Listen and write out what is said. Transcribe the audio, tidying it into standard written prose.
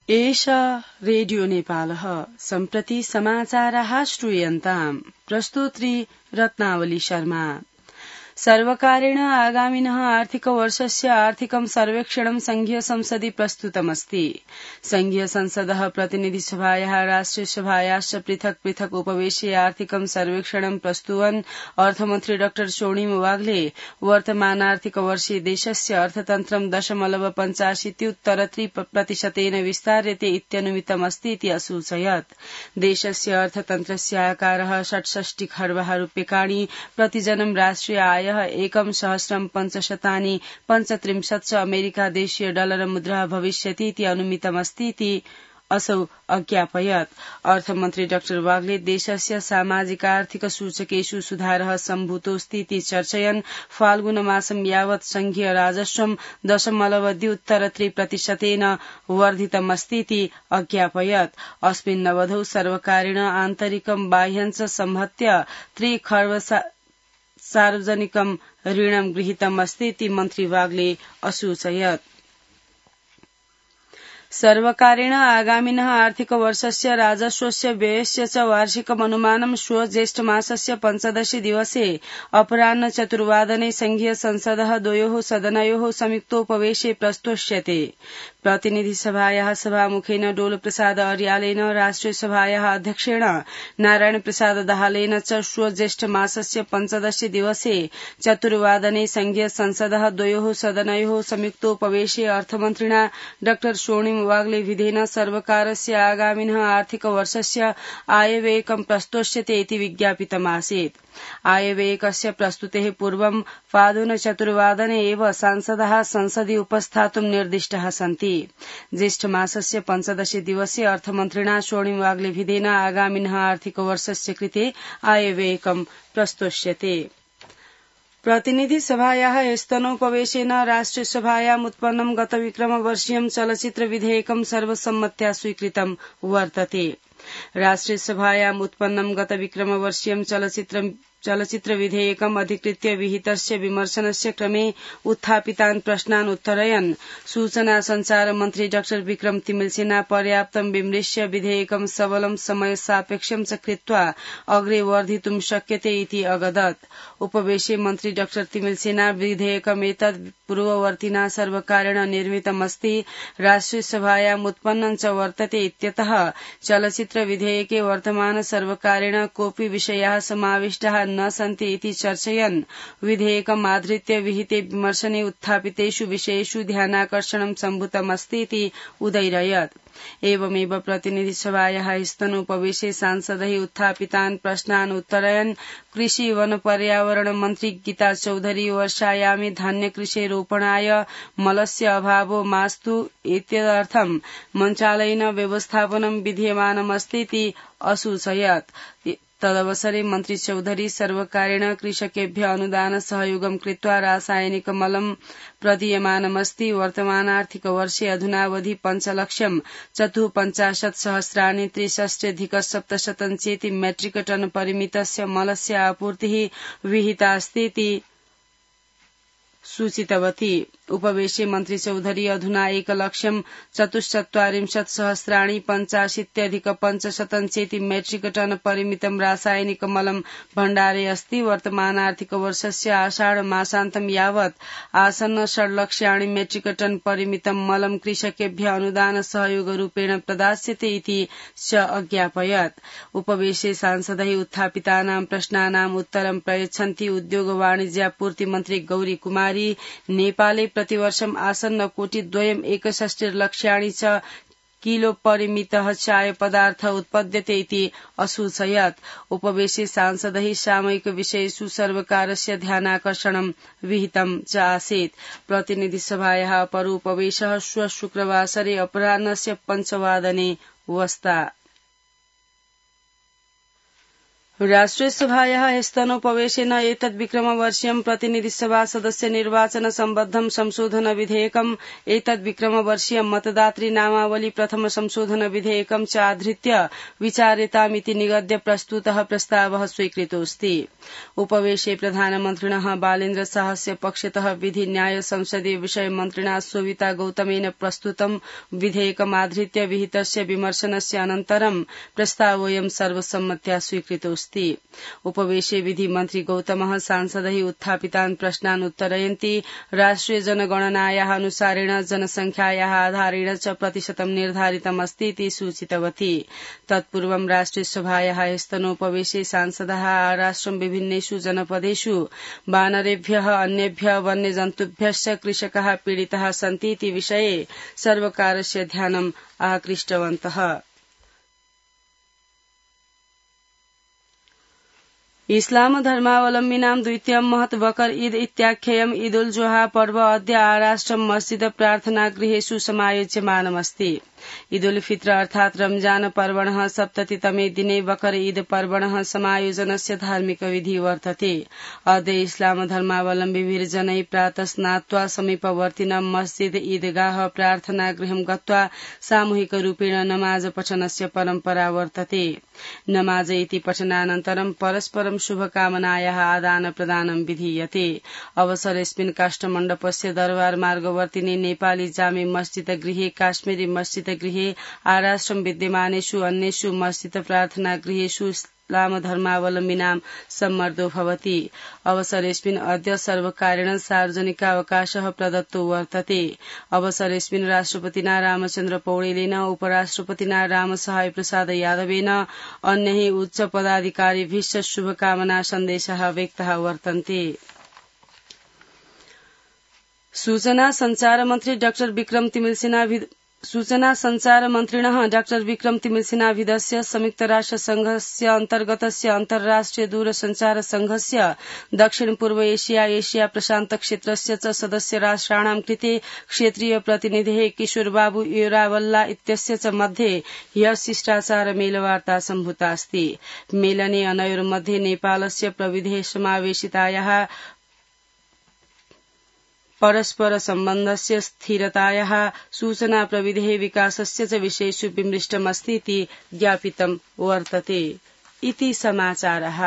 एषा रेडियो नेपालः सम्प्रति समाचाराः श्रूयन्ताम्। प्रस्तोत्री रत्नावली शर्मा। सर्वकारेण आगामिनः आर्थिकवर्षस्य आर्थिकं सर्वेक्षणं संघीय संसदि प्रस्तुतमस्ति। संघीय संसदः प्रतिनिधिसभायाः राष्ट्रियसभायाश्च पृथक् पृथक् उपवेशे आर्थिकं सर्वेक्षणं प्रस्तुवन् अर्थमन्त्री डाक्टर सोणिम वाग्ले वर्तमानार्थिकवर्षे देशस्य अर्थतन्त्रं 0.85% विस्तार्यते इत्यनुमितमस्ति इति असूचयत्। देशस्य अर्थतन्त्रस्य आकारः 67 खर्वः रूप्यकाणि, प्रतिजनं राष्ट्रिय आय 1,535 अमेरिका देशीय डलर मुद्रा भविष्यति इति अनुमितमस्ति इति असौ अज्ञापयत्। अर्थमन्त्री डाक्टर वाग्ले देशस्य सामाजिक आर्थिक सूचकेषु सुधारः सम्भूतोऽस्ति इति चर्चयन् फाल्गुनमासं यावत् संघीय राजस्वं 0.2% वर्धितमस्ति इति अज्ञापयत्। अस्मिन्नवधौ सर्वकारेण आन्तरिकं बाह्यञ्च संहत्य 3 खर्व सार्वजनिकं ऋणं गृहीतमस्ति इति मन्त्री वाग्ले असूचयत्। सर्वकारेण आगामिनः आर्थिकवर्षस्य राजस्वस्य व्ययस्य च वार्षिकमनुमानं श्वः ज्येष्ठमासस्य 15 दिवसे अपराह्न 4 संघीय संसदः द्वयोः सदनयोः संयुक्तोपवेशे प्रस्तोष्यते। प्रतिनिधिसभायाः सभामुखेन डोलप्रसाद अर्यालेन, राष्ट्रियसभायाः अध्यक्षेण नारायण प्रसाद दाहालेन च श्वः ज्येष्ठमासस्य 15 दिवसे 4 संघीय संसदः द्वयोः सदनयोः संयुक्तोपवेशे अर्थमन्त्रिणा डाक्टर सोणिम वाग्ले विधेन सर्वकारस्य आगामिनः आर्थिकवर्षस्य आयव्ययकं प्रस्तोष्यते इति विज्ञापितमासीत्। आयव्ययकस्य प्रस्तुतेः पूर्वं पादुन 4 एव सांसदाः संसदि उपस्थातुं निर्दिष्टाः सन्ति। ज्येष्ठमासस्य 15 दिवसे अर्थमन्त्रिणा सोणिम वाग्ले विधेन आगामिनः आर्थिकवर्षस्य कृते आयव्ययकं प्रस्तोष्यते। प्रतिनिधिसभायाः स्तनोपवेशेन राष्ट्रियसभायाम् उत्पन्नं गतविक्रमवर्षीयं चलचित्र विधेयकं सर्वसम्मत्या स्वीकृतं वर्तते। राष्ट्रियसभायाम् उत्पन्नं गतविक्रमवर्षीयं चलचित्र विधेयकम् अधिकृत्य विहितस्य विमर्शनस्य क्रमे उत्थापितान् प्रश्नान् उत्तरयन् सूचना संचार मन्त्री डाक्टर विक्रम तिमिलसेना पर्याप्तं विमृश्य विधेयकं सबलं समय सापेक्षं च कृत्वा अग्रे वर्धितुं शक्यते इति अगदत्। उपवेशे मन्त्री डाक्टर तिमिलसेना विधेयकमेतत् पूर्ववर्तिना सर्वकारेण निर्मितमस्ति, राष्ट्रियसभायाम् उत्पन्नं च वर्तते इत्यतः चलचित्र विधेयके वर्तमान सर्वकारेण कोऽपि विषयाः समाविष्टाः न सन्ति इति चर्चयन् विधेयकम् आधृत्य विहिते विमर्शने उत्थापितेषु विषयेषु ध्यानाकर्षणं सम्भूतमस्ति इति उदैरयत्। एवमेव प्रतिनिधिसभायाः स्तनोपवेशे सांसदैः उत्थापितान् प्रश्नान् उत्तरयन् कृषि वन पर्यावरण मन्त्री गीता चौधरी वर्षायामे धान्यकृषिरोपणाय मलस्य अभावो मास्तु इत्यर्थं मन्त्रालयेन व्यवस्थापनं विधीयमानमस्ति इति असूचयत्। तदवसरे मन्त्री चौधरी सर्वकारेण कृषकेभ्य अनुदान सहयोगं कृत्वा रासायनिक मलं प्रदीयमानमस्ति। वर्तमानार्थिकवर्षे अधुनावधि 5,54,000 63,700 मेट्रिक टन परिमितस्य मलस्य आपूर्तिः विहितास्ति इति सूचितवती। उपवेशे मन्त्री चौधरी अधुना 1,74,000 मेट्रिक टन परिमितं रासायनिक मलं भण्डारे अस्ति। वर्तमानार्थिकवर्षस्य आषाढ मासान्तं यावत् आसन्न 6,00,000 मेट्रिक टन परिमितं मलं कृषकेभ्य अनुदान सहयोग रूपेण प्रदास्यते इति च अज्ञापयत्। उपवेशे सांसदैः उत्थापितानां प्रश्नानाम् उत्तरं प्रयच्छन्ती उद्योग वाणिज्यापूर्ति मन्त्री गौरी कुमारी नेपाले प्रतिवर्षम् आसन्न 2,61,00,000 च किलो परिमितः चाय पदार्थ उत्पद्यते इति असूचयत्। उपवेशे सांसदैः सामयिक विषयेषु सर्वकारस्य ध्यानाकर्षणं विहितं च आसीत्। प्रतिनिधिसभायाः अपरोपवेशः श्वः शुक्रवासरे अपराह्नस्य 5 वस्ता। राष्ट्रियसभायाः ह्यस्तनोपवेशेन एतद्विक्रमवर्षीयं प्रतिनिधिसभा सदस्य निर्वाचन सम्बद्धं संशोधन विधेयकम् एतद्विक्रमवर्षीयं मतदातृ नामावली प्रथम संशोधन विधेयकं च आधृत्य विचार्यतामिति निगद्य प्रस्तुतः प्रस्तावः स्वीकृतोऽस्ति। उपवेशे प्रधानमन्त्रिणः बालेन्द्र शाहस्य पक्षतः विधि न्याय संसदीय विषय मन्त्रिणा सोविता गौतमेन प्रस्तुतं विधेयकमाधृत्य विहितस्य विमर्शनस्य अनन्तरं प्रस्तावोऽयं सर्वसम्मत्या स्वीकृतोऽस्ति। उपवेशे विधि मन्त्री गौतमः सांसदैः उत्थापितान् प्रश्नान् उत्तरयन्ती राष्ट्रिय जनगणनायाः अनुसारेण जनसंख्यायाः आधारेण च प्रतिशतं निर्धारितमस्ति इति सूचितवती। तत्पूर्वं राष्ट्रियसभायाः ह्यस्तनोपवेशे सांसदाः आराष्ट्रं विभिन्नेषु जनपदेषु वानरेभ्यः अन्येभ्यः वन्यजन्तुभ्यश्च कृषकाः पीडिताः सन्ति इति विषये सर्वकारस्य ध्यानम् आकृष्टवन्तः। इस्लाम धर्मावलम्बिनां द्वितीयं महत् बकर ईद इत्याख्ययम् ईद उल जोहा पर्व अद्य आराष्ट्रं मस्जिद प्रार्थनागृहेषु समायोज्यमानमस्ति। ईद उल फित्र अर्थात् रमजान पर्वणः सप्ततितमे दिने बकर ईद पर्वणः समायोजनस्य धार्मिक विधि वर्तते। अद्य इस्लाम धर्मावलम्बिभिर्जनैः प्रातः स्नात्वा समीपवर्तिनं मस्जिद ईदगाह प्रार्थनागृहं गत्वा सामूहिकरूपेण नमाज पठनस्य परम्परा वर्तते। नमाज इति पठनानन्तरं परस्परं शुभकामनायाः आदान प्रदानं विधीयते। अवसरेऽस्मिन् काष्ठमण्डपस्य दरबार मार्गवर्तिनि नेपाली जामे मस्जिद गृहे काश्मीरी मस्जिद गृहे आराष्ट्रं विद्यमानेषु अन्येषु मस्जिद प्रार्थना गृहेषु इस्लाम धर्मावलम्बिनां सम्मर्दो भवति। अवसरेऽस्मिन् अद्य सर्वकारेण सार्वजनिकावकाशः प्रदत्तो वर्तते। अवसरेऽस्मिन् राष्ट्रपतिना रामचन्द्र पौडेलेन उपराष्ट्रपतिना रामसहाय प्रसाद यादवेन अन्यैः उच्च पदाधिकारिभिश्च शुभकामना सन्देशाः व्यक्ताः वर्तन्ते। सूचना संचार मन्त्री डाक्टर विक्रम तिमिलसिना सूचना संचार मन्त्रिणः डाक्टर विक्रम तिमिलसिनाभिधस्य संयुक्त राष्ट्र संघस्य अन्तर्गतस्य अन्तर्राष्ट्रिय दूरसञ्चार संघस्य दक्षिण पूर्व एशिया एशिया प्रशान्त क्षेत्रस्य च सदस्य राष्ट्राणां कृते क्षेत्रीय प्रतिनिधिः किशोर बाबू योरावल्ला इत्यस्य च मध्ये ह्यः शिष्टाचार मेलवार्ता सम्भूता अस्ति। मेलने अनयोर्मध्ये नेपालस्य प्रविधेः समावेशितायाः परस्पर सम्बन्धस्य स्थिरतायाः सूचना प्रविधेः विकासस्य च विषयेषु विमृष्टमस्ति इति ज्ञापितं वर्तते। इति समाचारः।